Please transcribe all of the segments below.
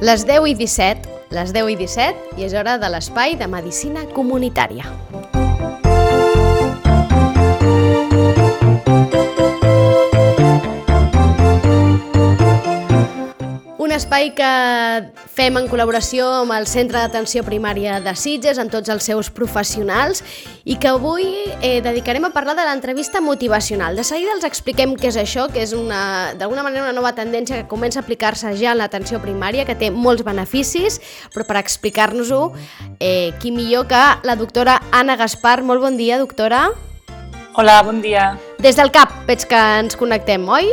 Les 10:17, i és hora de l'espai de Medicina Comunitària. Un espai que fem en col·laboració amb el Centre d'Atenció Primària de Sitges, amb tots els seus professionals, i que avui dedicarem a parlar de l'entrevista motivacional. De seguida els expliquem què és això, que és d'alguna manera una nova tendència que comença a aplicar-se ja en l'atenció primària, que té molts beneficis, però per explicar-nos-ho, qui millor que la doctora Anna Gaspar. Molt bon dia, doctora. Hola, bon dia. Des del CAP veig que ens connectem, oi?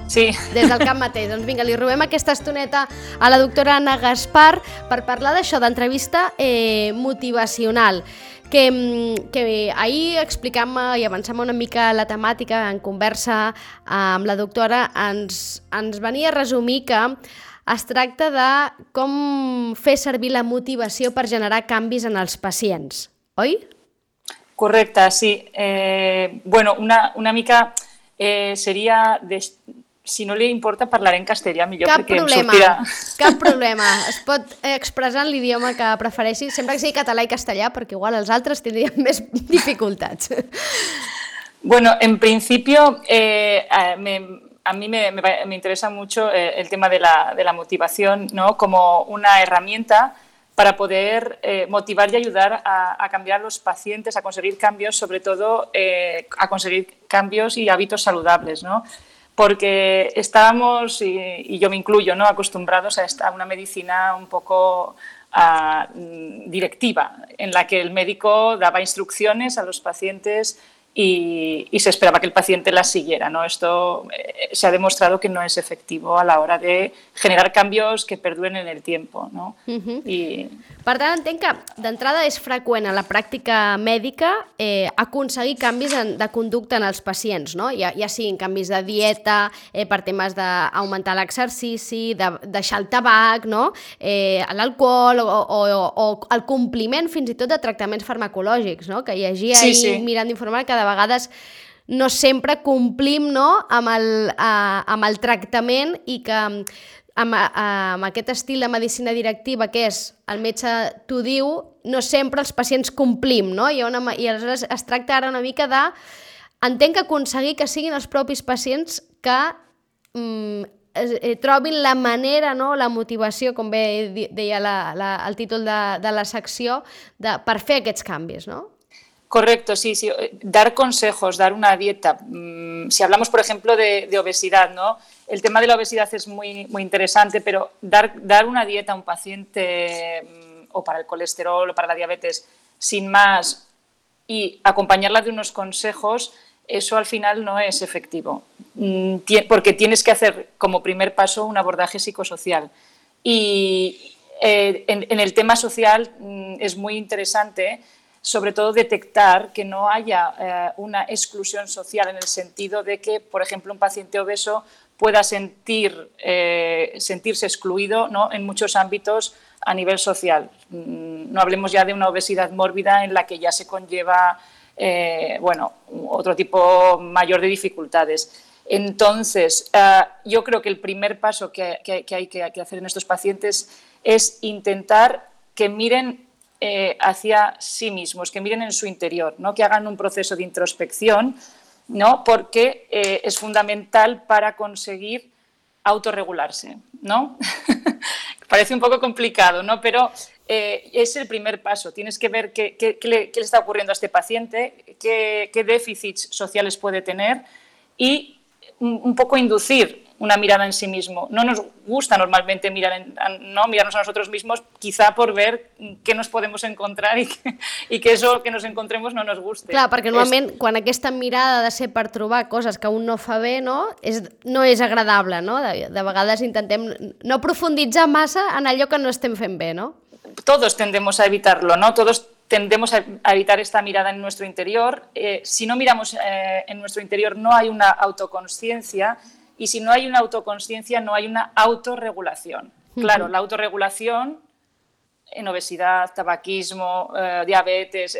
Sí. Des del CAP mateix. Doncs vinga, li robem aquesta estoneta a la doctora Anna Gaspar per parlar d'això, d'entrevista motivacional. Que ahir explicant-me i avançant una mica la temàtica en conversa amb la doctora, ens venia a resumir que es tracta de com fer servir la motivació per generar canvis en els pacients, oi? Correcte, sí. Una mica seria... Si no li importa, parlaré en castellà millor perquè em sortirà. Cap problema. Es pot expressar en l'idioma que prefereixi, sempre que sigui català i castellà, perquè igual els altres tindrien més dificultats. Bueno, en principio, a mí me interesa mucho el tema de la motivación, ¿no? Como una herramienta para poder motivar y ayudar a cambiar a los pacientes, a conseguir cambios, sobre todo a conseguir cambios y hábitos saludables, ¿no? Porque estábamos, y yo me incluyo, ¿no?, acostumbrados a una medicina un poco directiva, en la que el médico daba instrucciones a los pacientes y se esperaba que el paciente las siguiera, ¿no? Esto se ha demostrado que no es efectivo a la hora de generar cambios que perduren en el tiempo, ¿no? Per tant, entenc que d'entrada és freqüent a la pràctica mèdica aconseguir canvis de conducta en els pacients, no? Ja siguin canvis de dieta, per temes d'augmentar l'exercici, de deixar el tabac, no? L'alcohol o el compliment fins i tot de tractaments farmacològics, no? Que llegia ahir mirant d'informar que de vegades no sempre complim, no?, amb el tractament i que amb aquest estil de medicina directiva que és el metge t'ho diu, no sempre els pacients complim, no? I aleshores es tracta ara una mica de... Entenc que aconseguir que siguin els propis pacients que trobin la manera, no?, la motivació, com bé deia el títol de la secció, per fer aquests canvis, no? Correcto, sí. Dar consejos, dar una dieta. Si hablamos, por ejemplo, de obesidad, ¿no? El tema de la obesidad es muy, muy interesante, pero dar una dieta a un paciente o para el colesterol o para la diabetes sin más y acompañarla de unos consejos, eso al final no es efectivo, porque tienes que hacer como primer paso un abordaje psicosocial. Y en el tema social es muy interesante, sobre todo detectar que no haya una exclusión social en el sentido de que, por ejemplo, un paciente obeso pueda sentirse excluido, ¿no?, en muchos ámbitos a nivel social. No hablemos ya de una obesidad mórbida en la que ya se conlleva otro tipo mayor de dificultades. Entonces, yo creo que el primer paso que hay que hacer en estos pacientes es intentar que miren hacia sí mismos, que miren en su interior, ¿no?, que hagan un proceso de introspección, ¿no?, porque es fundamental para conseguir autorregularse, ¿no? Parece un poco complicado, ¿no?, pero es el primer paso. Tienes que ver qué le está ocurriendo a este paciente, qué déficits sociales puede tener y un poco inducir una mirada en sí mismo. No nos gusta normalmente mirarnos a nosotros mismos, quizá por ver què nos podemos encontrar i que eso que nos encontremos no nos guste. Clar, perquè normalment quan aquesta mirada ha de ser per trobar coses que un no fa bé, no és agradable, no? De vegades intentem no profunditzar massa en allò que no estem fent bé, no? todos tendemos a evitarlo, ¿no? Todos tendemos a evitar esta mirada en nuestro interior. Si no miramos en nuestro interior, no hay una autoconsciencia, y si no hay una autoconsciencia, no hay una autorregulación. Claro, la autorregulación en obesidad, tabaquismo, diabetes,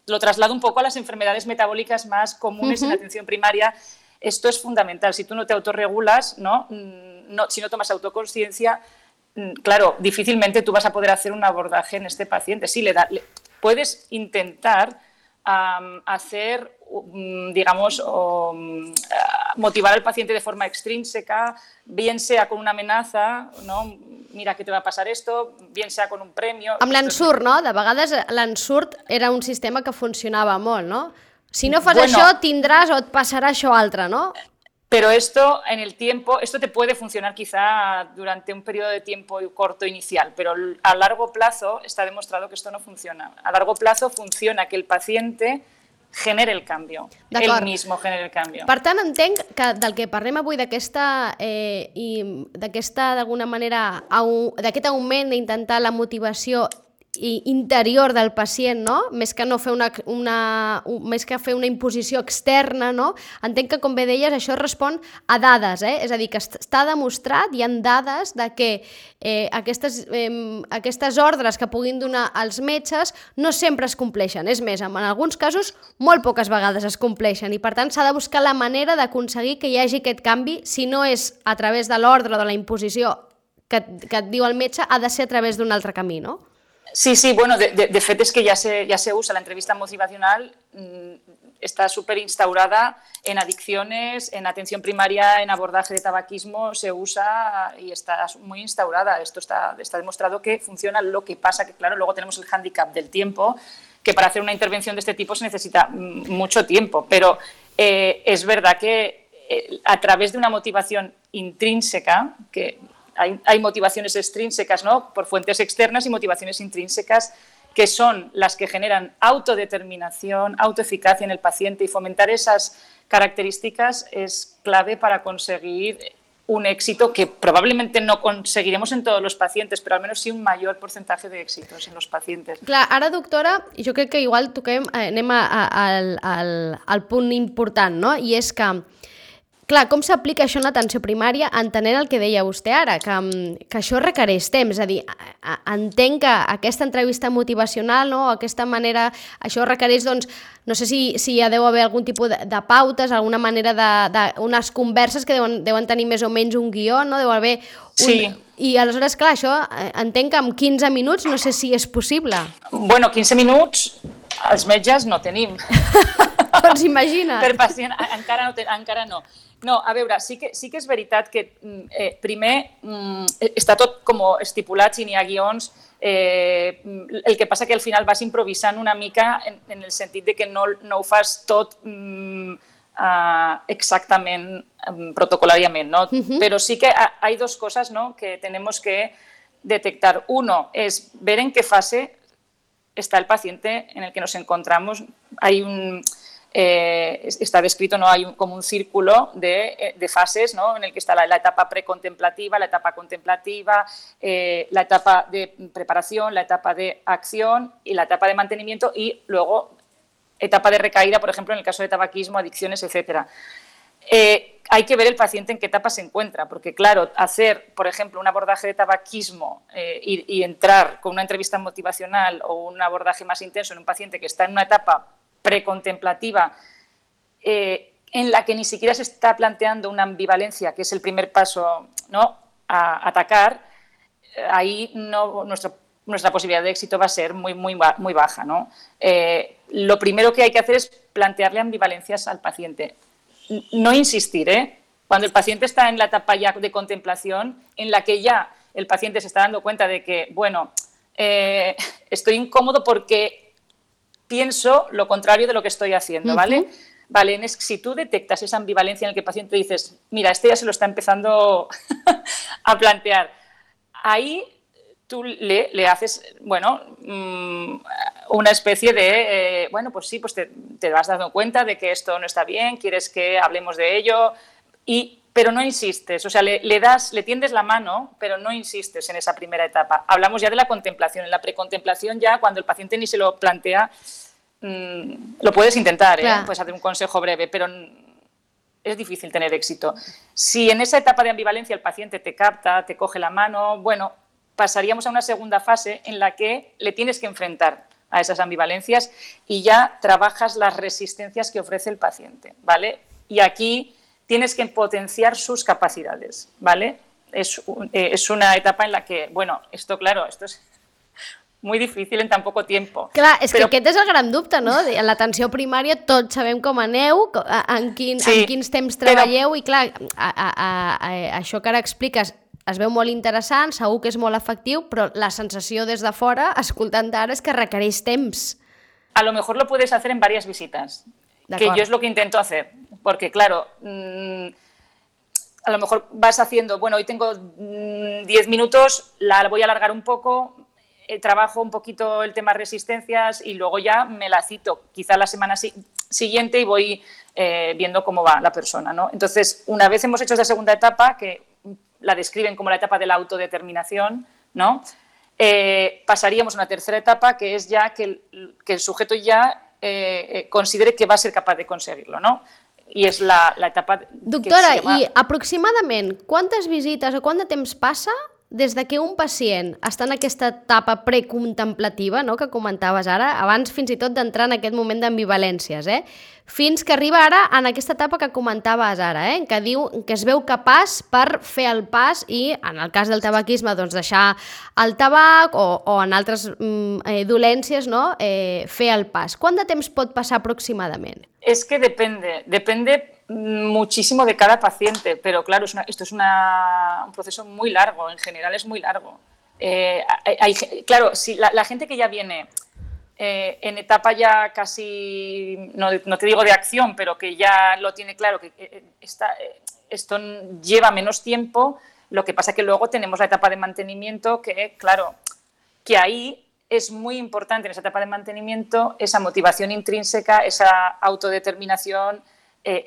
lo traslado un poco a las enfermedades metabólicas más comunes en la atención primaria. Esto es fundamental. Si tú no te autorregulas, si no tomas autoconsciencia, claro, difícilmente tú vas a poder hacer un abordaje en este paciente. Sí, puedes intentar hacer, digamos, motivar al paciente de forma extrínseca, bien sea con una amenaza, no? Mira que te va a passar esto, bien sea con un premio... Amb l'ensurt, no? De vegades l'ensurt era un sistema que funcionava molt, no? Si no fas això, tindràs o et passarà això altre, no? Pero esto en el tiempo, esto te puede funcionar quizá durante un periodo de tiempo corto inicial, pero a largo plazo está demostrado que esto no funciona. A largo plazo funciona que el paciente genere el canvi, ell mismo genere el canvi. Per tant, entenc que del que parlem avui d'aquesta, d'alguna manera, d'aquest augment d'intentar la motivació interior del pacient, no? Més que fer una imposició externa, no? Entenc que, com bé deies, això respon a dades, és a dir, que està demostrat, hi ha dades de que aquestes ordres que puguin donar els metges no sempre es compleixen. És més, en alguns casos, molt poques vegades es compleixen, i per tant s'ha de buscar la manera d'aconseguir que hi hagi aquest canvi, si no és a través de l'ordre o de la imposició que et diu el metge, ha de ser a través d'un altre camí, no? Sí, bueno, de fet es que ya se usa la entrevista motivacional, está súper instaurada en adicciones, en atención primaria, en abordaje de tabaquismo, se usa y está muy instaurada. Esto está demostrado que funciona. Lo que pasa que, claro, luego tenemos el hándicap del tiempo, que para hacer una intervención de este tipo se necesita mucho tiempo, pero es verdad que a través de una motivación intrínseca, que hay motivaciones extrínsecas, ¿no?, por fuentes externas, y motivaciones intrínsecas que son las que generan autodeterminación, autoeficacia en el paciente, y fomentar esas características es clave para conseguir un éxito que probablemente no conseguiremos en todos los pacientes, però almenys sí un major percentatge d'èxitos en els pacients. Clar, ara, doctora, jo crec que igual anem al punt important, no? I és que, clar, com s'aplica això en l'atenció primària, entenent el que deia vostè ara, que això requereix temps, és a dir, entenc que aquesta entrevista motivacional, no, aquesta manera, això requereix, doncs, no sé si hi deu haver algun tipus de pautes, alguna manera d'unes converses que deuen tenir més o menys un guió, no? Deu haver Sí. I aleshores, clar, això entenc que en 15 minuts no sé si és possible. Bueno, 15 minuts els metges no tenim. Doncs imagina't. Per pacient encara no. No, a veure, sí que és veritat que primer està tot com estipulat, si n'hi ha guions, el que passa que al final vas improvisant una mica en el sentit de que no ho fas tot exactament protocolariamente, ¿no? Pero sí que hay dos cosas, ¿no?, que tenemos que detectar. Uno es ver en qué fase está el paciente en el que nos encontramos. Hay está descrito, ¿no?, hay como un círculo de fases, ¿no?, en el que está la etapa precontemplativa, la etapa contemplativa, la etapa de preparación, la etapa de acción y la etapa de mantenimiento, y luego etapa de recaída, por ejemplo, en el caso de tabaquismo, adicciones, etc. Hay que ver el paciente en qué etapa se encuentra, porque, claro, hacer, por ejemplo, un abordaje de tabaquismo y entrar con una entrevista motivacional o un abordaje más intenso en un paciente que está en una etapa precontemplativa en la que ni siquiera se está planteando una ambivalencia, que es el primer paso, ¿no?, a atacar, ahí nuestra posibilidad de éxito va a ser muy baja, ¿no? Lo primero que hay que hacer es plantearle ambivalencias al paciente. No insistir, cuando el paciente está en la etapa ya de contemplación, en la que ya el paciente se está dando cuenta de que, bueno, estoy incómodo porque pienso lo contrario de lo que estoy haciendo, ¿vale? Vale, si tú detectas esa ambivalencia en la que el paciente dices, mira, este ya se lo está empezando a plantear, ahí tú le haces, bueno, una especie de, bueno, pues sí, pues te vas dando cuenta de que esto no está bien, quieres que hablemos de ello, y pero no insistes, o sea, le tiendes la mano, pero no insistes en esa primera etapa. Hablamos ya de la contemplación. En la precontemplación ya, cuando el paciente ni se lo plantea, lo puedes intentar, puedes hacer un consejo breve, pero es difícil tener éxito. Si en esa etapa de ambivalencia el paciente te capta, te coge la mano, bueno, pasaríamos a una segunda fase en la que le tienes que enfrentar a esas ambivalencias y ya trabajas las resistencias que ofrece el paciente, ¿vale? Y aquí tienes que potenciar sus capacidades, ¿vale? Es una etapa en la que, bueno, esto es muy difícil en tan poco tiempo. Clar, és que aquest és el gran dubte, no? En l'atenció primària tots sabem com aneu, en quins temps treballeu, i clar, això que ara expliques es veu molt interessant, segur que és molt efectiu, però la sensació des de fora, escoltant ara, és que requereix temps. A lo mejor lo puedes hacer en varias visitas, que yo es lo que intento hacer, porque claro, a lo mejor vas haciendo, bueno, hoy tengo 10 minutos, la voy a alargar un poco, trabajo un poquito el tema resistencias y luego ya me la cito quizá la semana siguiente y voy viendo cómo va la persona, ¿no? Entonces, una vez hemos hecho esa segunda etapa, que la describen como la etapa de la autodeterminación, ¿no? Pasaríamos a una tercera etapa, que es ya que el sujeto ya considere que va a ser capaz de conseguirlo, ¿no? I és la etapa... Doctora, i aproximadament quantes visites o quant de temps passa des de que un pacient està en aquesta etapa precontemplativa, no?, que comentaves ara, abans fins i tot d'entrar en aquest moment d'ambivalències, fins que arriba ara en aquesta etapa que comentaves ara, que diu que es veu capaç per fer el pas i, en el cas del tabaquisme, doncs deixar el tabac o en altres dolències, no?, fer el pas. Quant de temps pot passar aproximadament? Es que depende muchísimo de cada paciente, pero claro, esto es un proceso muy largo, en general es muy largo. Claro, si la gente que ya viene en etapa ya casi, no te digo de acción, pero que ya lo tiene claro, que esto lleva menos tiempo, lo que pasa que luego tenemos la etapa de mantenimiento que, claro, que ahí es muy importante en esa etapa de mantenimiento esa motivación intrínseca, esa autodeterminación,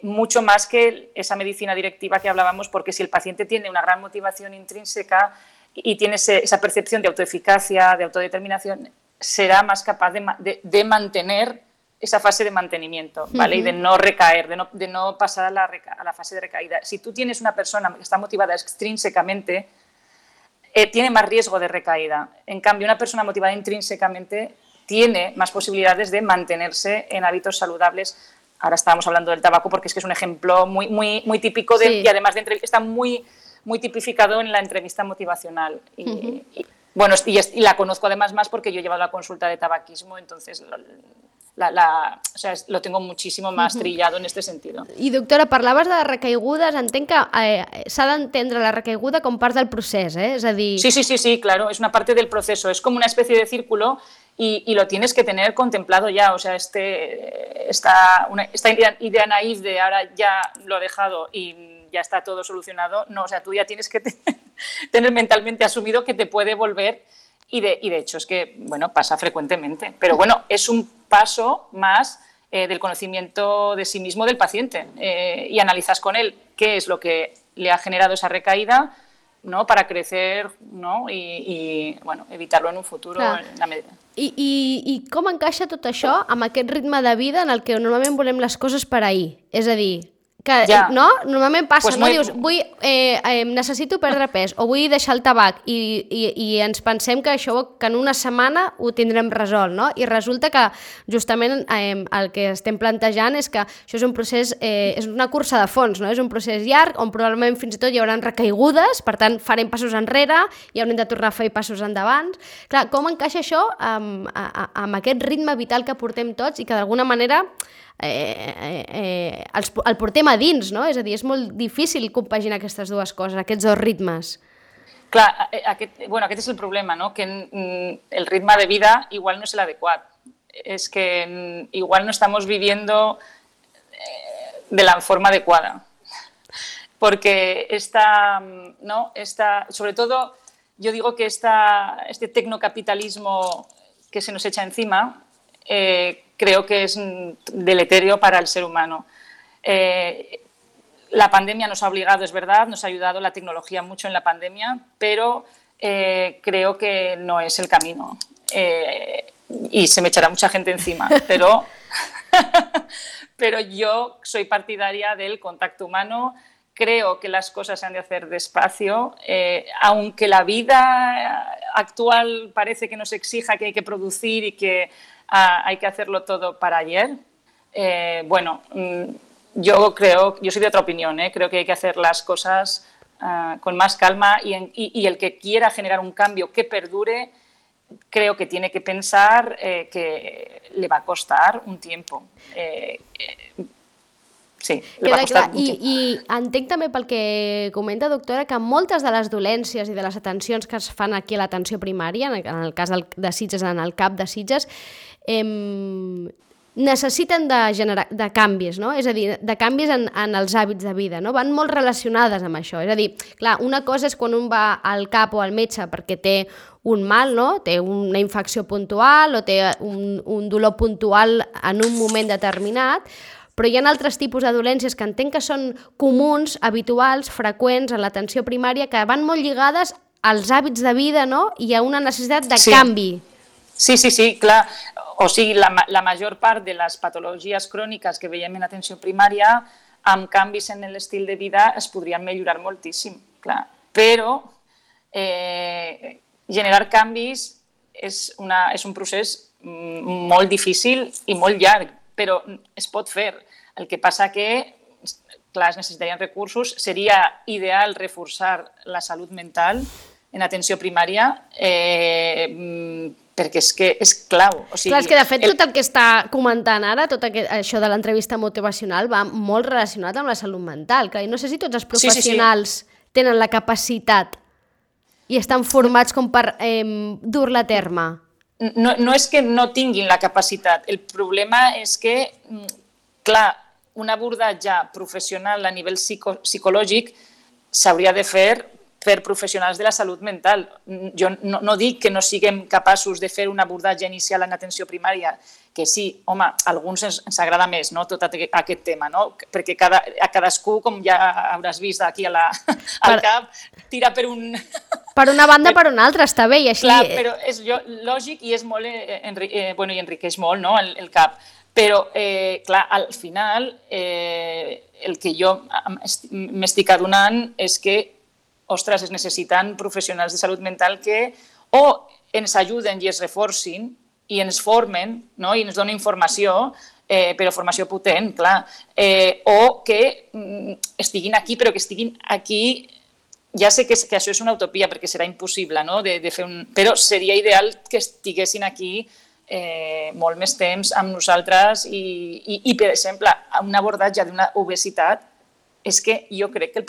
mucho más que esa medicina directiva que hablábamos, porque si el paciente tiene una gran motivación intrínseca y tiene esa percepción de autoeficacia, de autodeterminación, será más capaz de mantener esa fase de mantenimiento, ¿vale? Y de no recaer, de no pasar a la fase de recaída. Si tú tienes una persona que está motivada extrínsecamente, tiene más riesgo de recaída. En cambio, una persona motivada intrínsecamente tiene más posibilidades de mantenerse en hábitos saludables. Ahora estábamos hablando del tabaco porque es que es un ejemplo muy típico y además está muy tipificado en la entrevista motivacional. Y la conozco además más porque yo he llevado la consulta de tabaquismo, entonces lo tengo muchísimo más trillado en este sentido. I doctora, parlaves de recaigudes, entenc que s'ha d'entendre la recaiguda com part del procés, és a dir... Sí, claro, es una parte del proceso, es como una especie de círculo y lo tienes que tener contemplado ya, o sea, esta idea naif de ahora ya lo he dejado y ya está todo solucionado, no, o sea, tú ya tienes que tener mentalmente asumido que te puede volver y de hecho es que, bueno, pasa frecuentemente, pero bueno, es un paso más del conocimiento de sí mismo del paciente y analizas con él qué es lo que le ha generado esa recaída, ¿no?, para crecer, ¿no?, y bueno, evitarlo en un futuro. En la medida. I com encaixa tot això amb aquest ritme de vida en el que normalment volem les coses per ahir? És a dir, que no? Normalment passa, pues no? Dius, necessito perdre pes o vull deixar el tabac i ens pensem que això que en una setmana ho tindrem resolt, no? I resulta que justament el que estem plantejant és que això és un procés, és una cursa de fons, no? És un procés llarg on probablement fins i tot hi haurà recaigudes, per tant farem passos enrere i haurem de tornar a fer passos endavant. Clar, com encaixa això amb aquest ritme vital que portem tots i que d'alguna manera el portem a dins, no? És a dir, és molt difícil compaginar aquestes dues coses, aquests dos ritmes. Clar, aquest és el problema, no? Que el ritme de vida igual no es el adecuado. Es que igual no estamos viviendo de la forma adecuada. Porque sobre todo, yo digo que este tecnocapitalismo que se nos echa encima, creo que es deleterio para el ser humano. La pandemia nos ha obligado, es verdad, nos ha ayudado la tecnología mucho en la pandemia, pero creo que no es el camino. Y se me echará mucha gente encima, pero, pero yo soy partidaria del contacto humano. Creo que las cosas se han de hacer despacio, aunque la vida actual parece que nos exija que hay que producir y que hay que hacerlo todo para ayer. Yo soy de otra opinión, creo que hay que hacer las cosas con más calma y el que quiera generar un cambio que perdure, creo que tiene que pensar que le va a costar un tiempo. Sí, queda clar. I entenc també pel que comenta, doctora, que moltes de les dolències i de les atencions que es fan aquí a l'atenció primària, en el cas de Sitges, en el CAP de Sitges, necessiten de canvis, no? És a dir, de canvis en els hàbits de vida, no? Van molt relacionades amb això. És a dir, clar, una cosa és quan un va al CAP o al metge perquè té un mal, no? Té una infecció puntual o té un dolor puntual en un moment determinat, però hi ha altres tipus de dolències que entenc que són comuns, habituals, freqüents en l'atenció primària, que van molt lligades als hàbits de vida, no? I a una necessitat de canvi. Sí, clar. O sigui, la major part de les patologies cròniques que veiem en l'atenció primària, amb canvis en l'estil de vida, es podrien millorar moltíssim, clar. Però generar canvis és un procés molt difícil i molt llarg, però es pot fer. El que passa que, clar, es necessitarien recursos. Seria ideal reforçar la salut mental en atenció primària perquè és que és clau. O sigui, clar, és que de fet tot el que està comentant ara, tot això de l'entrevista motivacional va molt relacionat amb la salut mental. Clar, i no sé si tots els professionals tenen la capacitat i estan formats com per dur-la a terme. No és que no tinguin la capacitat, el problema és que, clar, un abordatge professional a nivell psicològic s'hauria de fer per professionals de la salut mental. Jo no dic que no siguem capaços de fer un abordatge inicial en atenció primària, que sí, home, a alguns ens agrada més, no?, tot aquest tema, no? Perquè a cadascú, com ja hauràs vist aquí al CAP, tira per un... Per una banda, per una altra, està bé, i així... Clar, però és lògic i és molt... i enriqueix molt, no?, el CAP. Però, clar, al final, el que jo m'estic adonant és que, ostres, es necessiten professionals de salut mental que o ens ajuden i es reforcin i ens formen, no?, i ens donen informació, però formació potent, clar, o que estiguin aquí, però que estiguin aquí... Ja sé que això és una utopia perquè serà impossible, no?, de fer però seria ideal que estiguessin aquí molt més temps amb nosaltres i per exemple, un abordatge d'una obesitat és que jo crec que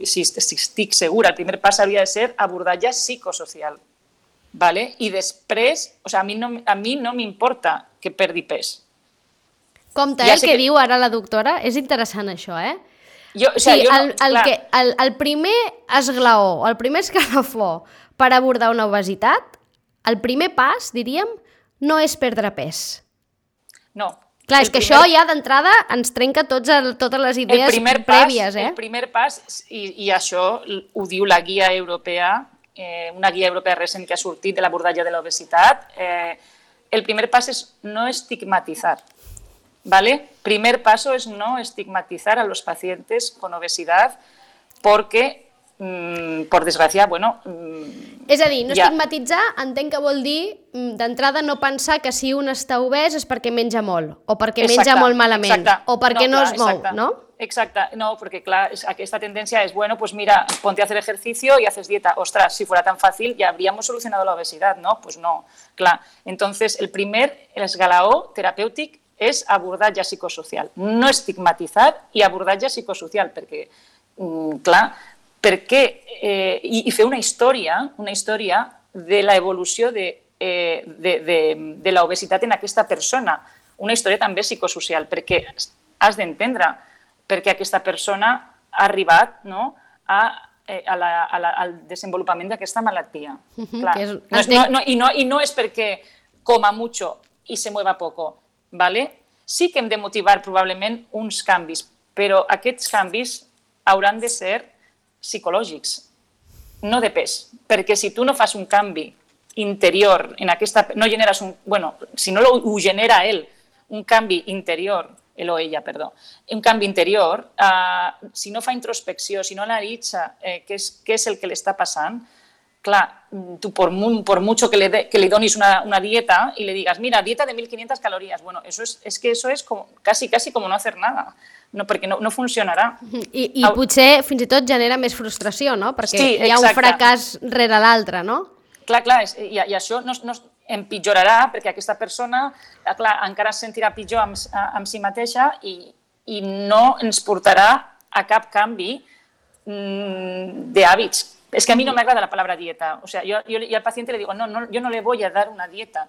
estic segura, el primer pas hauria de ser abordatge psicosocial. I després, a mi no m'importa que perdi pes. Compte, el que diu ara la doctora, és interessant això, el primer esglaó o el primer escalafó per abordar una obesitat, el primer pas, diríem, no és perdre pes. No. Clar, és que això ja d'entrada ens trenca totes les idees prèvies. El primer pas, i això ho diu la guia europea, una guia europea recent que ha sortit de l'abordatge de l'obesitat, el primer pas és no estigmatitzar. Primer paso es no estigmatizar a los pacientes con obesidad porque, por desgràcia, És a dir, no estigmatitzar entenc que vol dir d'entrada no pensar que si un està obès és perquè menja molt, o perquè menja molt malament, o perquè no es mou, ¿no? Exacte, no, porque claro, esta tendencia es, pues mira, ponte a hacer ejercicio y haces dieta. Ostras, si fuera tan fácil ya habríamos solucionado la obesidad, ¿no? Pues no, clar. Entonces, el esglaó terapèutic és abordatge psicosocial, no estigmatitzar i abordatge psicosocial, perquè, clar, i fer una història de l'evolució de l'obesitat en aquesta persona, una història també psicosocial, perquè has d'entendre per què aquesta persona ha arribat al desenvolupament d'aquesta malaltia. I no és perquè coma mucho i se mueva poco. Sí que hem de motivar probablement uns canvis, però aquests canvis hauran de ser psicològics, no de pes, perquè si tu no fas un canvi interior, no generes si no ho genera ell, un canvi interior, ell o ella, perdó, un canvi interior, si no fa introspecció, si no analitza què és el que li està passant, clar, tu por mucho que le donis una dieta y le digas, mira, dieta de 1.500 calorías, bueno, eso es como, casi como no hacer nada, no, perquè no funcionarà. I potser fins i tot genera més frustració, no? Perquè sí, hi ha un fracàs rere l'altre, no? Clar, i això no empitjorarà perquè aquesta persona, clar, encara es sentirà pitjor amb si mateixa i no ens portarà a cap canvi d'hàbits. Es que a mí no me agrada la palabra dieta. O sea, yo al paciente le digo, no, yo no le voy a dar una dieta.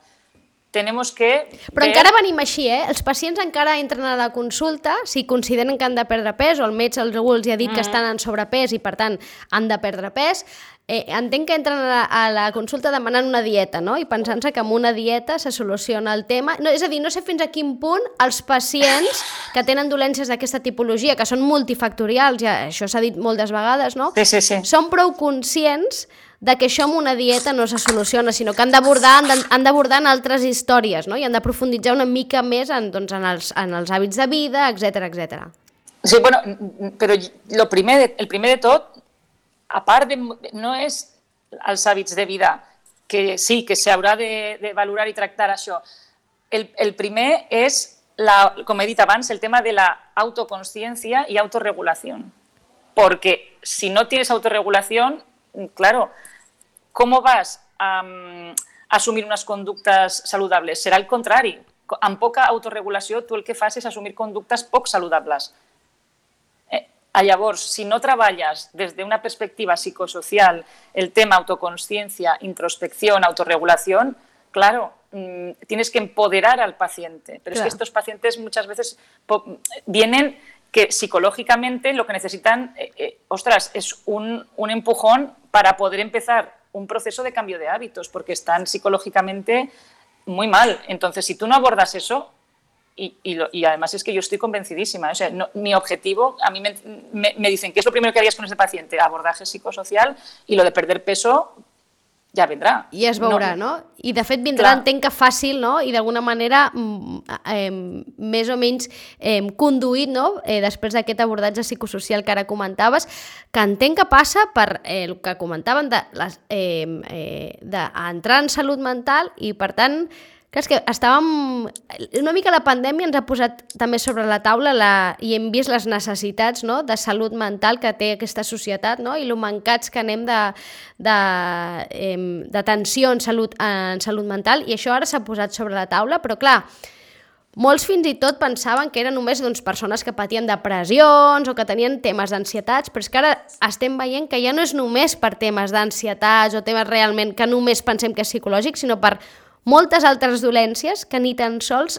Tenemos que... Però encara venim així, eh? Els pacients encara entren a la consulta si consideren que han de perdre pes o el metge els ha dit que estan en sobrepès i, per tant, han de perdre pes. Entenc que entren a la consulta demanant una dieta, no? I pensant-se que amb una dieta se soluciona el tema. No, és a dir, no sé fins a quin punt els pacients que tenen dolències d'aquesta tipologia, que són multifactorials, ja això s'ha dit moltes vegades, no? Sí. Són prou conscients de que això amb una dieta no se soluciona, sinó que han d'abordar en altres històries, no? I han de profunditzar una mica més en els hàbits de vida, etc. Sí, bueno, però el primer de tot, a part no és els hàbits de vida, que sí, que s'haurà de valorar i tractar això. El primer és, com he dit abans, el tema de la autoconsciencia y autorregulación. Porque si no tienes autorregulación, claro, ¿cómo vas a assumir unes conductes saludables? Serà el contrari. Amb poca autorregulació, tu el que fas és assumir conductes poc saludables. Llavors, si no treballes des d'una perspectiva psicosocial el tema autoconsciencia, introspección, autorregulación, claro, tienes que empoderar al paciente. Pero claro, es que estos pacientes muchas veces vienen que psicológicamente lo que necesitan, es un empujón para poder empezar un proceso de cambio de hábitos, porque están psicológicamente muy mal. Entonces, si tú no abordas eso, y además es que yo estoy convencidísima, o sea, mi objetivo, a mí me dicen, ¿qué es lo primero que harías con ese paciente? Abordaje psicosocial, y lo de perder peso ja vendrà. I es veurà, no? I de fet vindrà, entenc que fàcil, no? I d'alguna manera més o menys conduït, no? Després d'aquest abordatge psicosocial que ara comentaves, que entenc que passa per el que comentaven d'entrar en salut mental i, per tant, que és que estàvem... Una mica la pandèmia ens ha posat també sobre la taula i hem vist les necessitats, no?, de salut mental que té aquesta societat, no?, i lo mancats que anem d'atenció en salut mental, i això ara s'ha posat sobre la taula, però clar, molts fins i tot pensaven que eren només persones que patien depressions o que tenien temes d'ansietats, però és que ara estem veient que ja no és només per temes d'ansietats o temes realment que només pensem que és psicològic, sinó per moltes altres dolències que ni tan sols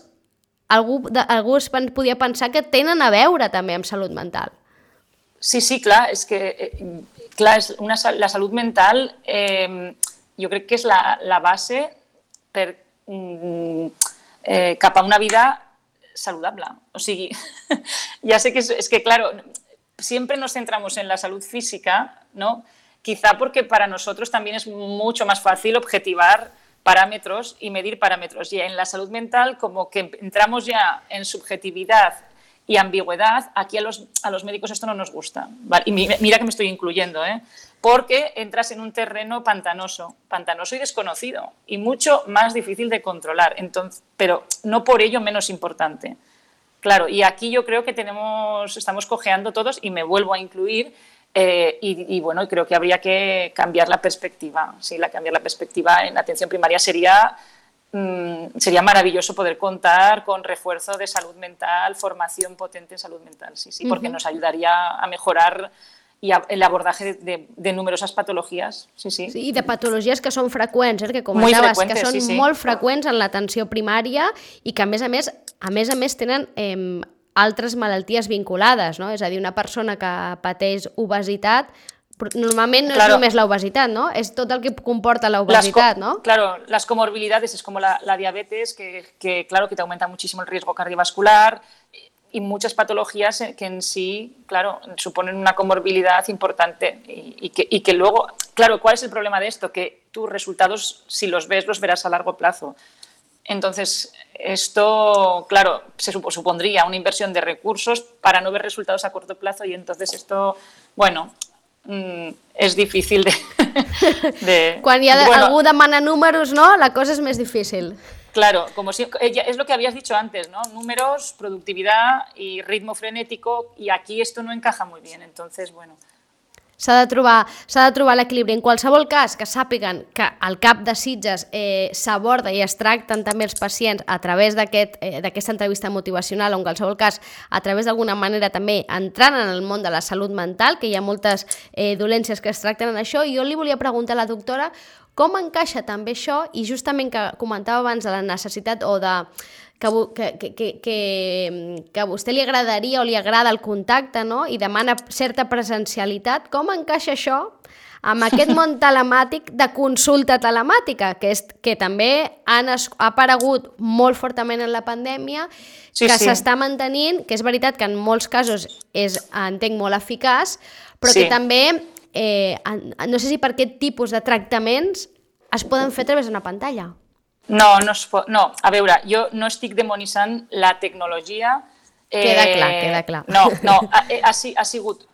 algú es podia pensar que tenen a veure també amb salut mental. Sí, clar, és que la salut mental jo crec que és la base per cap a una vida saludable. O sigui, ya sé que es que, claro, siempre nos centramos en la salud física, ¿no? Quizá porque para nosotros también es mucho más fácil objetivar parámetros y medir parámetros. Y en la salud mental, como que entramos ya en subjetividad y ambigüedad, aquí a los médicos esto no nos gusta. ¿Vale? Y mira que me estoy incluyendo, porque entras en un terreno pantanoso y desconocido y mucho más difícil de controlar, pero no por ello menos importante. Claro, y aquí yo creo que estamos cojeando todos, y me vuelvo a incluir. Y bueno, creo que habría que cambiar la perspectiva. Sí, cambiar la perspectiva en la atención primaria sería maravilloso poder contar con refuerzo de salud mental, formación potente en salud mental, sí, porque nos ayudaría a mejorar el abordaje de numerosas patologías. Sí, i de patologies que són freqüents, que comentaves, que són molt freqüents en l'atenció primària i que a més a més tenen altres malalties vinculades, no? És a dir, una persona que pateix obesitat, normalment no és només l'obesitat, no? És tot el que comporta l'obesitat, ¿no? Claro, las comorbilidades es como la diabetes, que claro, que te aumenta muchísimo el riesgo cardiovascular, y muchas patologías que en sí, claro, suponen una comorbilidad importante y que luego, claro, ¿cuál es el problema de esto? Que tus resultados, si los ves, los verás a largo plazo. Entonces, esto, claro, supondría una inversión de recursos para no ver resultados a corto plazo y entonces esto, bueno, és difícil de Quan hi ha algú demana números, no? La cosa és més difícil. Claro, como si, es lo que habías dicho antes, ¿no? Números, productividad y ritmo frenético, y aquí esto no encaja muy bien, entonces, bueno. S'ha de trobar l'equilibri. En qualsevol cas, que sàpiguen que al CAP de Sitges s'aborda i es tracten també els pacients a través d'aquesta entrevista motivacional, o en qualsevol cas, a través d'alguna manera també entrant en el món de la salut mental, que hi ha moltes dolències que es tracten en això, i jo li volia preguntar a la doctora com encaixa també això, i justament que comentava abans de la necessitat o de que a vostè li agradaria o li agrada el contacte, no? I demana certa presencialitat, com encaixa això amb aquest món telemàtic de consulta telemàtica, que també ha aparegut molt fortament en la pandèmia, s'està mantenint, que és veritat que en molts casos és, entenc, molt eficaç, però que també, no sé si per aquest tipus de tractaments es poden fer a través d'una pantalla. No, a veure, jo no estic demonitzant la tecnologia. Queda clar. No, ha sigut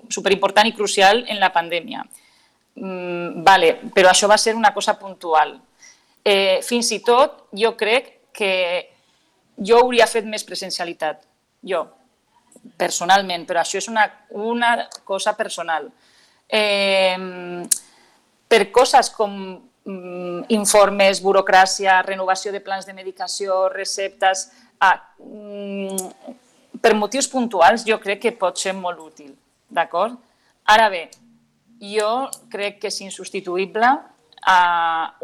superimportant i crucial en la pandèmia. Vale, però això va ser una cosa puntual. Fins i tot, jo crec que jo hauria fet més presencialitat, jo, personalment, però això és una cosa personal. Per coses com informes, burocràcia, renovació de plans de medicació, receptes, per motius puntuals jo crec que pot ser molt útil, d'acord? Ara bé, jo crec que és insubstituïble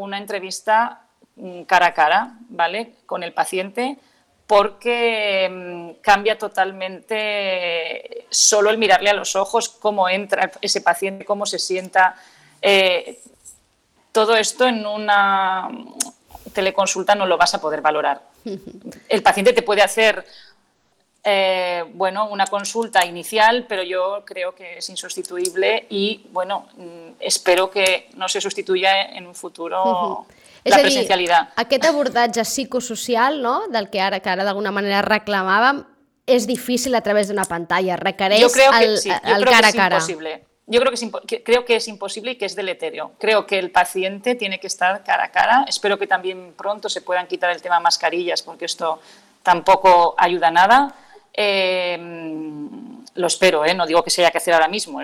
una entrevista cara a cara, ¿vale? Con el paciente, porque cambia totalmente solo el mirarle a los ojos, cómo entra ese paciente, cómo se sienta. Todo esto en una teleconsulta no lo vas a poder valorar. El paciente te puede hacer una consulta inicial, pero yo creo que es insustituible y espero que no se sustituya en un futuro la presencialitat. Aquest abordatge psicosocial, no?, del que ara d'alguna manera reclamàvem, és difícil a través d'una pantalla, requereix el cara a cara. Yo creo que es imposible y que es deleterio. Creo que el paciente tiene que estar cara a cara. Espero que también pronto se puedan quitar el tema mascarillas, porque esto tampoco ayuda a nada. Lo espero, no digo que se haya que hacer ahora mismo.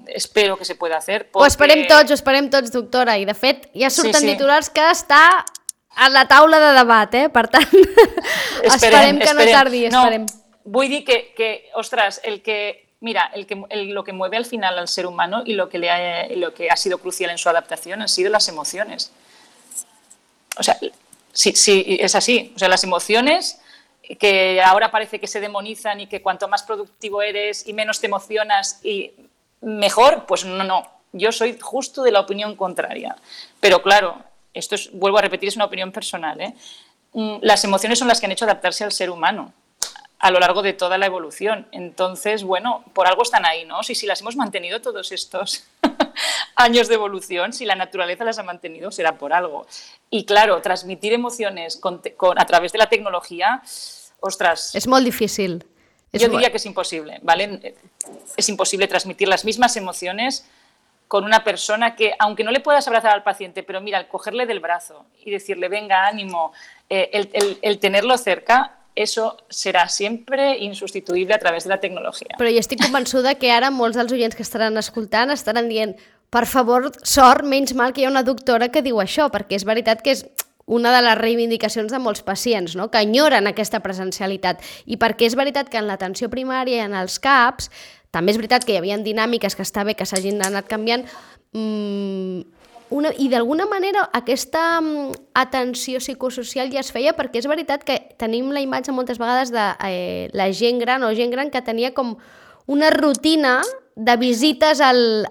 Espero que se pueda hacer. Ho esperem tots, doctora. I, de fet, ja surten titulars que està a la taula de debat, per tant, esperem que no tardi. Vull dir que, ostres, lo que mueve al final al ser humano y lo que ha sido crucial en su adaptación han sido las emociones. O sea, sí, es así. O sea, las emociones que ahora parece que se demonizan y que cuanto más productivo eres y menos te emocionas y mejor, pues no. Yo soy justo de la opinión contraria. Pero claro, esto vuelvo a repetir, es una opinión personal, Las emociones son las que han hecho adaptarse al ser humano a lo largo de toda la evolución. Entonces, por algo están ahí, ¿no? Si las hemos mantenido todos estos años de evolución, si la naturaleza las ha mantenido, será por algo. Y claro, transmitir emociones a través de la tecnología, ostras... Es molt difícil. Yo diría que es imposible, ¿vale? Es imposible transmitir las mismas emociones con una persona que, aunque no le puedas abrazar al paciente, pero mira, el cogerle del brazo y decirle, venga, ánimo, el tenerlo cerca... Eso serà sempre insubstituïble a través de la tecnologia. Però jo estic convençuda que ara molts dels oients que estaran escoltant estaran dient, per favor, sort, menys mal que hi ha una doctora que diu això, perquè és veritat que és una de les reivindicacions de molts pacients, no?, que enyoren aquesta presencialitat. I perquè és veritat que en l'atenció primària i en els CAPs, també és veritat que hi havia dinàmiques que està bé que s'hagin anat canviant, i d'alguna manera aquesta atenció psicosocial ja es feia, perquè és veritat que tenim la imatge moltes vegades de la gent gran o gent gran que tenia com una rutina de visites al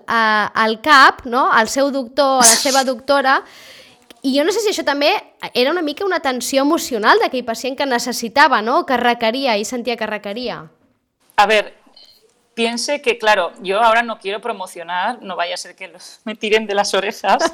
CAP, no?, al seu doctor, a la seva doctora, I jo no sé si això també era una mica una tensió emocional d'aquell pacient que necessitava, ¿no? Que requeria i sentia que requeria. A ver, piense que, claro, yo ahora no quiero promocionar, no vaya a ser que me tiren de las orejas,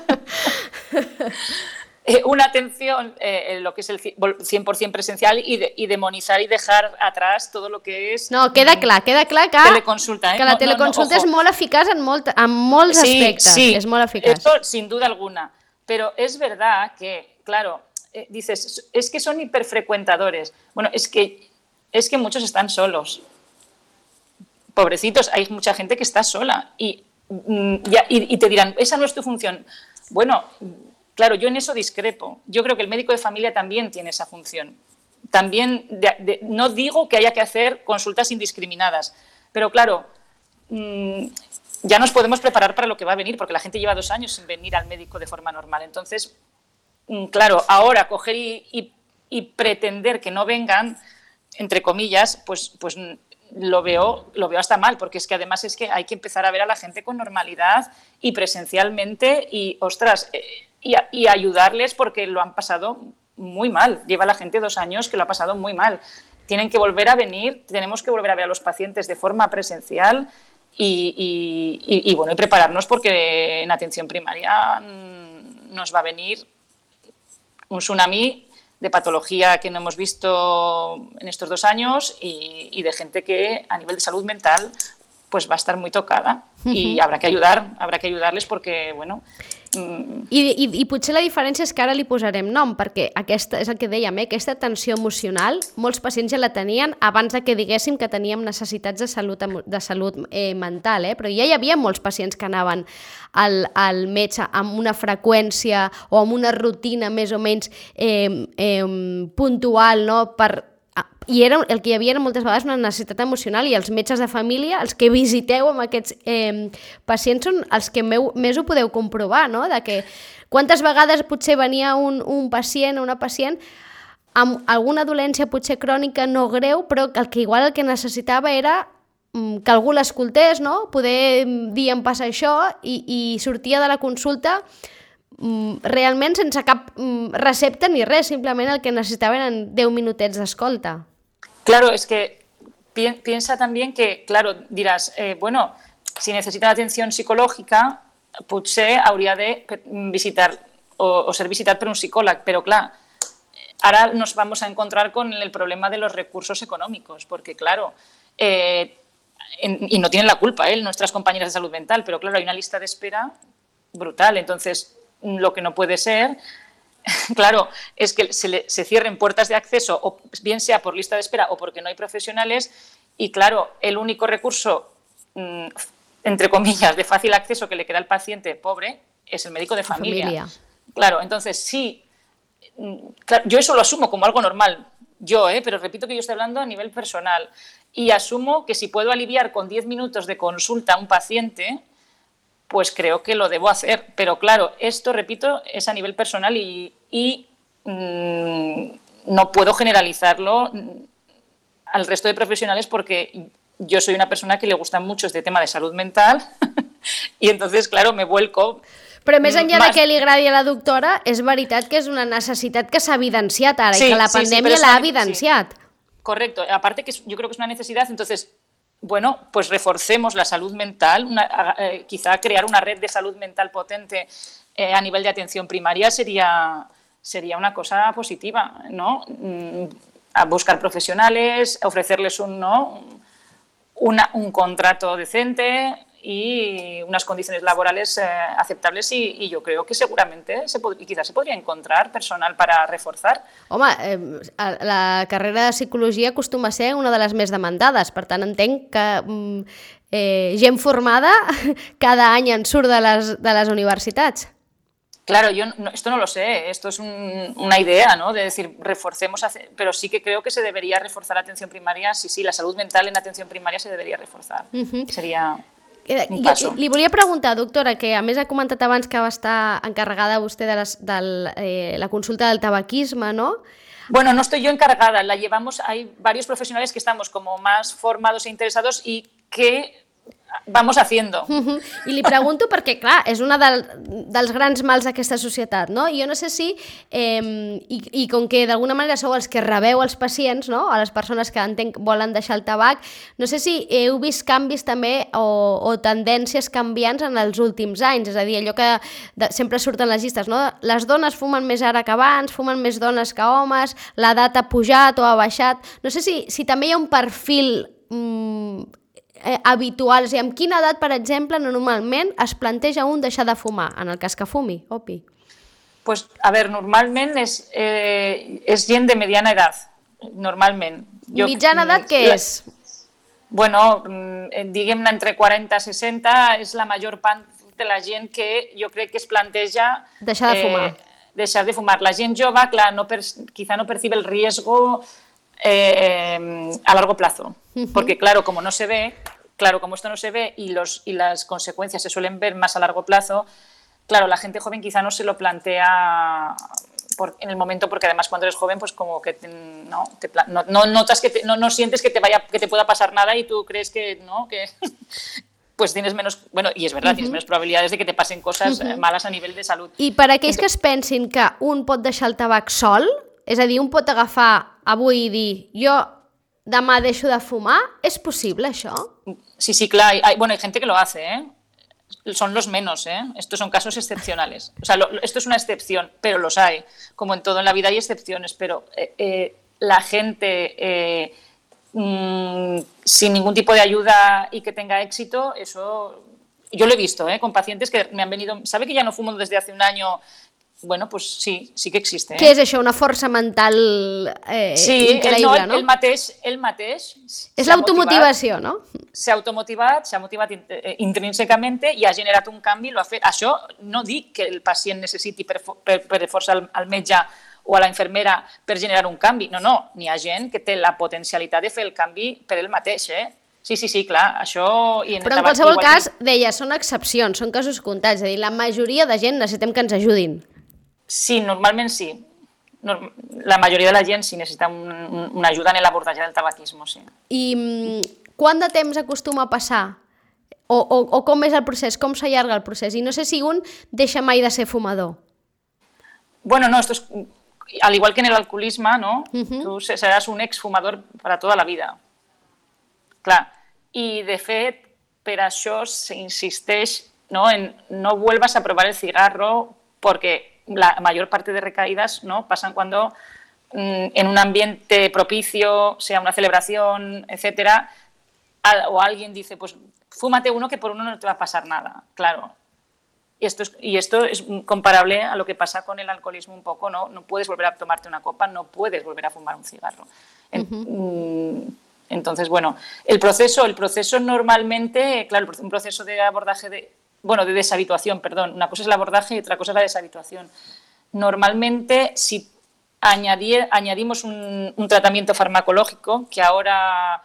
una atención, lo que es el 100% presencial y demonizar y dejar atrás todo lo que es... No, queda clar que teleconsulta, que la teleconsulta és molt eficaç en molts aspectes. Sí, és molt eficaç. Esto sin duda alguna. Pero es verdad que, claro, dices, es que son hiperfrecuentadores. Bueno, es que muchos están solos. Pobrecitos, hay mucha gente que está sola y te dirán, esa no es tu función. Bueno, claro, yo en eso discrepo. Yo creo que el médico de familia también tiene esa función. También, no digo que haya que hacer consultas indiscriminadas, pero claro, ya nos podemos preparar para lo que va a venir, porque la gente lleva 2 años sin venir al médico de forma normal. Entonces, claro, ahora coger y pretender que no vengan, entre comillas, pues lo veo hasta mal, porque es que además es que hay que empezar a ver a la gente con normalidad y presencialmente y, ostras, y ayudarles porque lo han pasado muy mal. Lleva la gente 2 años que lo ha pasado muy mal. Tienen que volver a venir, tenemos que volver a ver a los pacientes de forma presencial y bueno, y prepararnos porque en atención primaria nos va a venir un tsunami de patología que no hemos visto en estos 2 años y de gente que a nivel de salud mental pues va a estar muy tocada y habrá que ayudarles porque, bueno... I potser la diferència és que ara li posarem nom, perquè aquesta, és el que dèiem, aquesta tensió emocional, molts pacients ja la tenien abans de que diguéssim que teníem necessitats de salut mental, però ja hi havia molts pacients que anaven al metge amb una freqüència o amb una rutina més o menys puntual, no? I el que hi havia era moltes vegades una necessitat emocional i els metges de família, els que visiteu amb aquests pacients són els que més ho podeu comprovar, no? De que quantes vegades potser venia un pacient o una pacient amb alguna dolència potser crònica no greu, però que igual el que necessitava era que algú l'escoltés, no? Poder dir em passa això i sortia de la consulta realment sense cap recepta ni res, simplement el que necessitaven en 10 minutets d'escolta. Claro, es que piensa también que, claro, dirás, bueno, si necesitan atención psicológica, potser hauria de visitar o ser visitat per un psicòleg, pero claro, ahora nos vamos a encontrar con el problema de los recursos económicos, porque claro, y no tienen la culpa nuestras compañeras de salud mental, pero claro, hay una lista de espera brutal, entonces lo que no puede ser, claro, es que se cierren puertas de acceso, o bien sea por lista de espera o porque no hay profesionales, y claro, el único recurso, entre comillas, de fácil acceso que le queda al paciente pobre es el médico de familia. Claro, entonces sí, claro, yo eso lo asumo como algo normal, pero repito que yo estoy hablando a nivel personal, y asumo que si puedo aliviar con 10 minutos de consulta a un paciente, pues creo que lo debo hacer. Pero claro, esto, repito, es a nivel personal y no puedo generalizarlo al resto de profesionales porque yo soy una persona que le gusta mucho este tema de salud mental y entonces, claro, me vuelco... Però més enllà de que li agradi a la doctora, és veritat que és una necessitat que s'ha evidenciat ara i que la pandèmia l'ha evidenciat. Correcto, aparte que yo creo que es una necesidad, entonces... Bueno, pues reforcemos la salud mental, quizá crear una red de salud mental potente a nivel de atención primaria sería una cosa positiva, ¿no? A buscar profesionales, ofrecerles un contrato decente y unas condiciones laborales aceptables y yo creo que seguramente quizás se podría encontrar personal para reforzar. Home, la carrera de psicologia acostuma a ser una de les més demandades, per tant entenc que gent formada cada any en surt de les universitats. Claro, esto no lo sé, esto es una idea, ¿no? De decir, reforcemos, pero sí que creo que se debería reforzar la atención primaria, sí, la salud mental en atención primaria se debería reforzar. Sería... Li volia preguntar, doctora, que a més ha comentat abans que va estar encarregada vostè de la consulta del tabaquisme, ¿no? Bueno, no estoy yo encargada, la llevamos, hay varios profesionales que estamos como más formados e interesados y que vamos haciendo. I li pregunto perquè, clar, és una dels grans mals d'aquesta societat, no? I jo no sé si, i com que d'alguna manera sou els que rebeu els pacients, no? A les persones que volen deixar el tabac, no sé si heu vist canvis també o tendències canviants en els últims anys, és a dir, allò que sempre surten les llistes, no? Les dones fumen més ara que abans, fumen més dones que homes, l'edat ha pujat o ha baixat. No sé si també hi ha un perfil habituals, i amb quina edat, per exemple, normalment es planteja un deixar de fumar, en el cas que fumi, Opi? Pues, a ver, normalment és gent de mediana edat, normalment. Mitjana edat què és? Bueno, diguem-ne entre 40 i 60 és la major part de la gent que jo crec que es planteja deixar de fumar. Deixar de fumar. La gent jove, clar, quizá no percibe el riesgo a largo plazo, porque claro, como esto no se ve y las consecuencias se suelen ver más a largo plazo, claro, la gente joven quizá no se lo plantea en el momento, porque además cuando eres joven pues como que no notas que no sientes que te pueda pasar nada y tú crees que no, que pues tienes menos, bueno, y es verdad, tienes menos probabilidades de que te pasen cosas malas a nivell de salut. I per aquells que es pensin que un pot deixar el tabac sol, és a dir, un pot agafar avui i dir, jo demà deixo de fumar, ¿es posible això? Sí, claro. Hay gente que lo hace, ¿eh? Son los menos, ¿eh? Estos son casos excepcionales. O sea, esto es una excepción, pero los hay. Como en todo en la vida hay excepciones, pero la gente sin ningún tipo de ayuda y que tenga éxito, eso yo lo he visto, con pacientes que me han venido, ¿sabe que ya no fumo desde hace un año? Bueno, pues sí que existe. Què és això? Una força mental increïble, no? El mateix. És l'automotivació, no? S'ha motivat intrínsecament i ha generat un canvi. Això no dic que el pacient necessiti per força al metge o a la infermera per generar un canvi. No, n'hi ha gent que té la potencialitat de fer el canvi per ell mateix, Sí, clar, això... Però en qualsevol cas, deia, són excepcions, són casos comptats, és a dir, la majoria de gent necessitem que ens ajudin. Sí, normalment sí. La majoria de la gent sí necessita una ajuda en l'abordatge del tabaquisme, sí. I quant de temps acostuma a passar? O com és el procés? Com s'allarga el procés? I no sé si un deixa mai de ser fumador. Bueno, no, esto es al igual que en el alcoholisme, ¿no? Tú serás un exfumador para toda la vida. Clar, i de fet, per això s'insisteix en no vuelvas a probar el cigarro porque la mayor parte de recaídas pasan cuando en un ambiente propicio, sea una celebración, etcétera, o alguien dice, pues fúmate uno que por uno no te va a pasar nada, claro. Y esto es comparable a lo que pasa con el alcoholismo un poco, ¿no? No puedes volver a tomarte una copa, no puedes volver a fumar un cigarro. Entonces, bueno, el proceso normalmente, claro, un proceso de abordaje de deshabituación, perdón. Una cosa es el abordaje y otra cosa es la deshabituación. Normalmente, si añadimos un tratamiento farmacológico, que ahora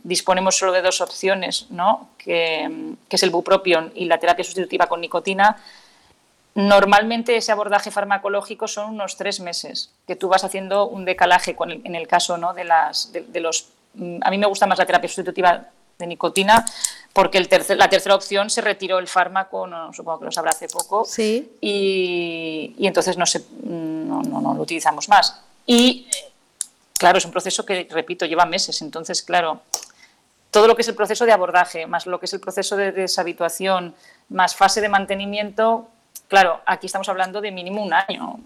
disponemos solo de dos opciones, ¿no? que es el bupropión y la terapia sustitutiva con nicotina, normalmente ese abordaje farmacológico son unos 3 meses, que tú vas haciendo un decalaje en el caso, ¿no? de los... A mí me gusta más la terapia sustitutiva de nicotina, porque la tercera opción se retiró el fármaco, supongo que lo sabrá hace poco, sí. y entonces no lo utilizamos más. Y claro, es un proceso que, repito, lleva meses, entonces claro, todo lo que es el proceso de abordaje, más lo que es el proceso de deshabituación, más fase de mantenimiento, claro, aquí estamos hablando de mínimo un año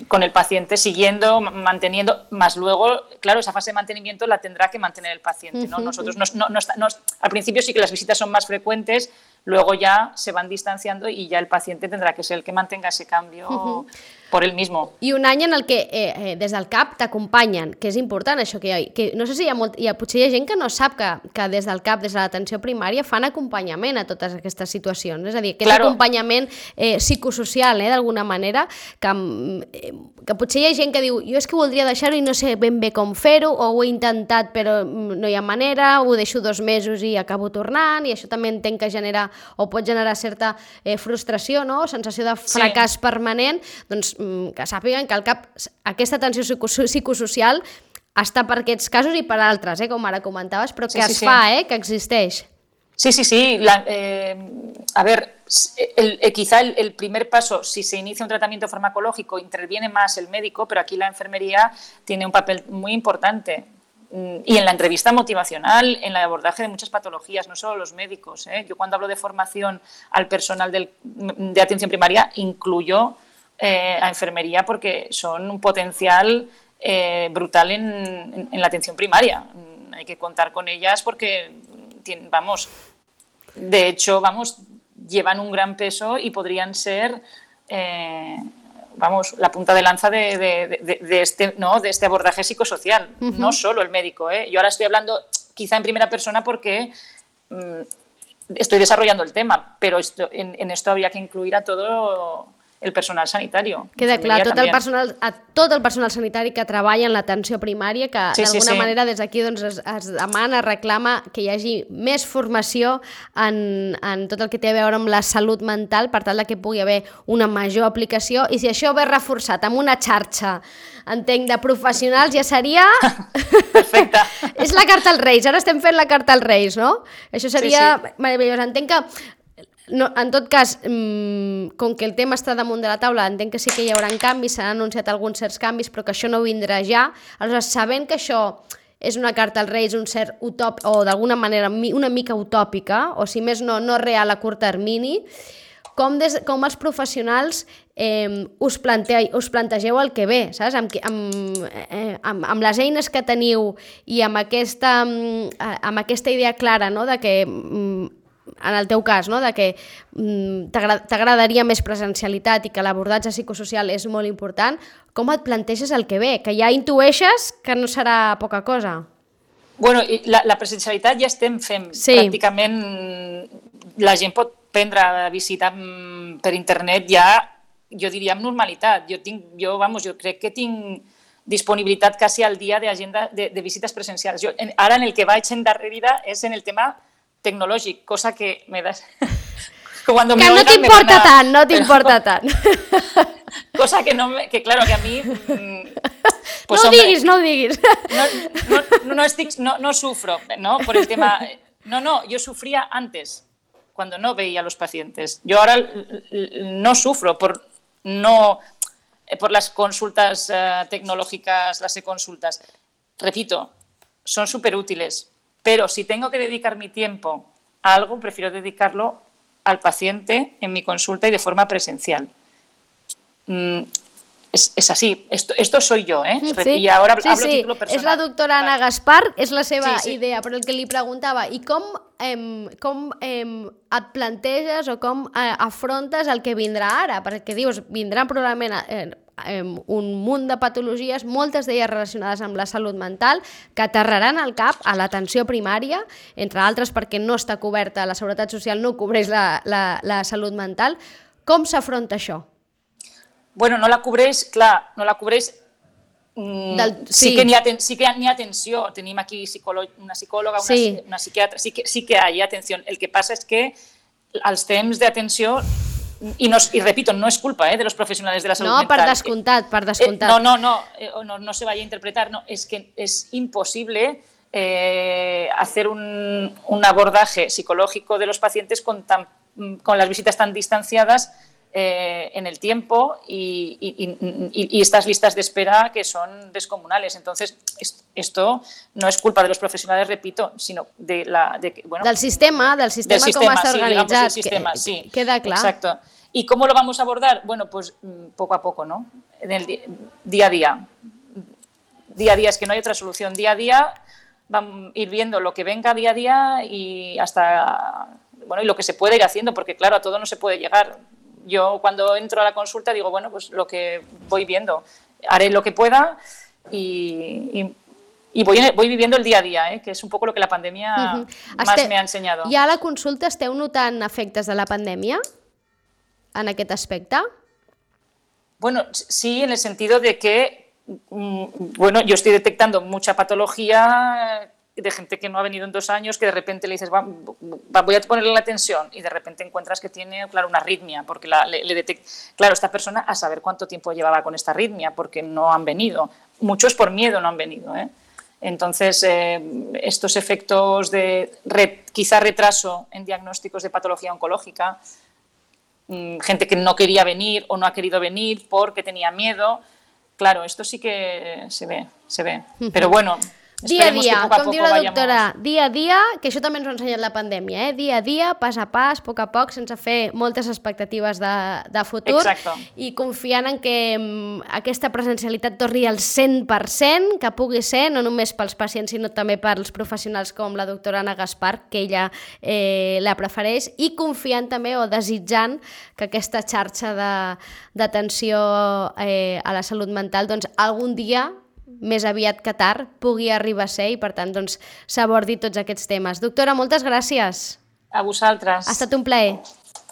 con el paciente siguiendo, manteniendo, más luego, claro, esa fase de mantenimiento la tendrá que mantener el paciente, ¿no? Nosotros al principio sí que las visitas son más frecuentes, luego ya se van distanciando y ya el paciente tendrà que ser el que mantenga ese cambio por él mismo. I un any en el que des del CAP t'acompanyen, que és important això, que no sé si potser hi ha gent que no sap que des del CAP, des de l'atenció primària, fan acompanyament a totes aquestes situacions, és a dir, que és acompanyament psicosocial, d'alguna manera, que potser hi ha gent que diu, jo és que voldria deixar-ho i no sé ben bé com fer-ho, o ho he intentat però no hi ha manera, ho deixo 2 mesos i acabo tornant, i això també entenc que genera o pot generar certa frustració, no? Sensació de fracàs permanent, doncs que sàpiguen que al CAP aquesta atenció psicosocial està per aquests casos i per altres, com ara comentaves, però que es fa, que existeix. Sí. A ver, quizá el primer paso, si se inicia un tratamiento farmacológico, interviene más el médico, pero aquí la enfermería tiene un papel muy importante. Y en la entrevista motivacional, en el abordaje de muchas patologías, no solo los médicos. Yo cuando hablo de formación al personal de atención primaria, incluyo a enfermería porque son un potencial brutal en la atención primaria. Hay que contar con ellas porque, de hecho, llevan un gran peso y podrían ser... la punta de lanza de este abordaje psicosocial, no solo el médico. Yo ahora estoy hablando quizá en primera persona porque estoy desarrollando el tema, pero en esto habría que incluir a todo el personal sanitario. Queda clar, tot el personal sanitari que treballa en l'atenció primària, que d'alguna manera des d'aquí es demana, reclama que hi hagi més formació en tot el que té a veure amb la salut mental per tal que pugui haver una major aplicació, i si això ve reforçat amb una xarxa, entenc, de professionals, ja seria... Perfecte. És la carta als Reis, ara estem fent la carta als Reis, no? Això seria meravellós. Entenc que no, en tot cas, com que el tema està damunt de la taula, entenc que sí que hi haurà canvis, s'han anunciat alguns certs canvis, però que això no vindrà ja. Aleshores, sabent que això és una carta als Reis, un cert utòpic, o d'alguna manera una mica utòpica, o si més no real a curt termini, com els professionals us plantegeu el que ve, saps? Amb les eines que teniu i amb aquesta idea clara, no?, de que... en el teu cas, no?, de que t'agradaria més presencialitat i que l'abordatge psicosocial és molt important, com et planteges el que ve? Que ja intueixes que no serà poca cosa. Bueno, la presencialitat ja estem fent. Pràcticament la gent pot prendre visita per internet ja, jo diria, amb normalitat. Jo crec que tinc disponibilitat quasi al dia d'agenda de visites presencials. Ara en el que vaig endarrerida és en el tema tecnològic, cosa que me da... Que no t'importa tant. Cosa que claro, que a mi... Pues, no ho diguis. No sufro, ¿no? Por el tema... No, yo sufría antes, cuando no veía a los pacientes. Yo ahora no sufro por las consultas tecnológicas, las e-consultas. Repito, son súper útiles. Pero si tengo que dedicar mi tiempo a algo, prefiero dedicarlo al paciente en mi consulta y de forma presencial. Es así. Esto soy yo, ¿eh? Sí. I ahora hablo a título personal. És la doctora Anna Gaspar, és la seva idea, però el que li preguntava, i com et planteges o com afrontes el que vindrà ara? Perquè dius, vindrà probablement un munt de patologies, moltes d'elles relacionades amb la salut mental, que aterraran al cap a l'atenció primària, entre altres perquè no està coberta, la Seguretat Social no cobreix la salut mental. Com s'afronta això? Bueno, no la cobreix, clar, no la cobreix... Sí que n'hi ha atenció. Tenim aquí una psicòloga, una psiquiatra, sí que hi ha atenció. El que passa és que els temps d'atenció... Y repito, no es culpa de los profesionales de la salud mental. No, per descomptat. No se vaya a interpretar. No, es que es imposible hacer un abordaje psicológico de los pacientes con las visitas tan distanciadas en el tiempo y estas listas de espera que son descomunales. Entonces, esto no es culpa de los profesionales, repito, sino del sistema com està organitzat. Sí, sistema, sí. Queda clar. Exacto. ¿Y cómo lo vamos a abordar? Bueno, pues poco a poco, ¿no? En el día a día. Día a día, es que no hay otra solución. Día a día vamos a ir viendo lo que venga día a día y hasta, y lo que se puede ir haciendo, porque claro, a todo no se puede llegar. Yo cuando entro a la consulta digo, bueno, pues lo que voy viendo, haré lo que pueda y voy viviendo el día a día, que es un poco lo que la pandemia más me ha enseñado. I a la consulta esteu notant efectes de la pandèmia en aquest aspecte? Bueno, sí, en el sentido de que, yo estoy detectando mucha patología de gente que no ha venido en 2 años, que de repente le dices, voy a ponerle la tensión, y de repente encuentras que tiene, claro, una arritmia, porque le detecta. Claro, esta persona a saber cuánto tiempo llevaba con esta arritmia, porque no han venido. Muchos por miedo no han venido, Entonces, estos efectos de quizá retraso en diagnósticos de patología oncológica, gente que no quería venir o no ha querido venir porque tenía miedo, claro, esto sí que se ve. Però bueno, dia a dia, que com diu la doctora, dia a dia, que això també ens ho ha ensenyat la pandèmia, dia a dia, pas a pas, a poc, sense fer moltes expectatives de futur. Exacte. I confiant en que aquesta presencialitat torni al 100%, que pugui ser, no només pels pacients, sinó també pels professionals com la doctora Anna Gaspar, que ella la prefereix, i confiant també o desitjant que aquesta xarxa d'atenció a la salut mental doncs, algun dia més aviat que tard, pugui arribar a ser i, per tant, doncs, s'abordi tots aquests temes. Doctora, moltes gràcies. A vosaltres. Ha estat un plaer.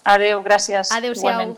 Adéu, gràcies. Adéu-siau. Igualment.